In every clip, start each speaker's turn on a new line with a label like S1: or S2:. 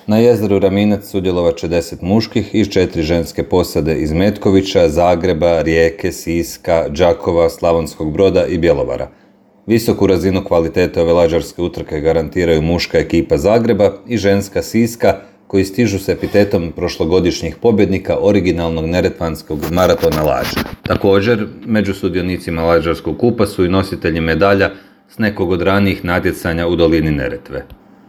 S1: Na jezeru Raminac sudjelovat će 10 muških i 4 ženske posade iz Metkovića, Zagreba, Rijeke, Siska, Đakova, Slavonskog Broda i Bjelovara. Visoku razinu kvalitete ove lađarske utrke garantiraju muška ekipa Zagreba i ženska Siska, koji stižu s epitetom prošlogodišnjih pobjednika originalnog neretvanskog maratona lađa. Također, među sudionicima Lađarskog kupa su i nositelji medalja s nekog od ranijih natjecanja u dolini Neretve.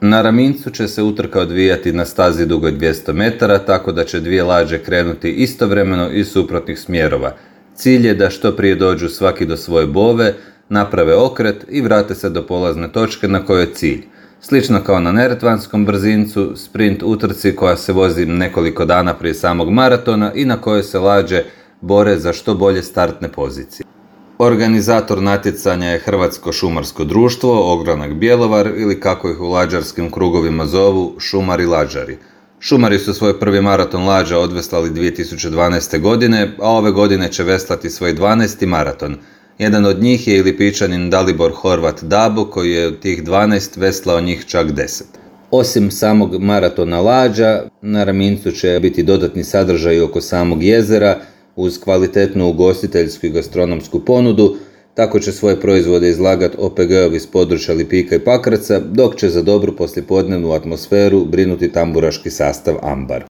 S1: Na Ramincu će se utrka odvijati na stazi dugoj 200 metara, tako da će dvije lađe krenuti istovremeno iz suprotnih smjerova. Cilj je da što prije dođu svaki do svoje bove, naprave okret i vrate se do polazne točke na kojoj je cilj. Slično kao na neretvanskom brzincu, sprint utrci koja se vozi nekoliko dana prije samog maratona i na kojoj se lađe bore za što bolje startne pozicije. Organizator natjecanja je Hrvatsko šumarsko društvo, Ogranak Bjelovar ili kako ih u lađarskim krugovima zovu, Šumari Lađari. Šumari su svoj prvi maraton lađa odveslali 2012. godine, a ove godine će veslati svoj 12. maraton. Jedan od njih je i Lipičanin Dalibor Horvat Dabo, koji je od tih 12 veslao njih čak 10. Osim samog maratona lađa, na Ramincu će biti dodatni sadržaj oko samog jezera, uz kvalitetnu ugostiteljsku i gastronomsku ponudu. Tako će svoje proizvode izlagati OPG-ovi iz područja Lipika i Pakraca, dok će za dobru poslijepodnevnu atmosferu brinuti tamburaški sastav Ambar.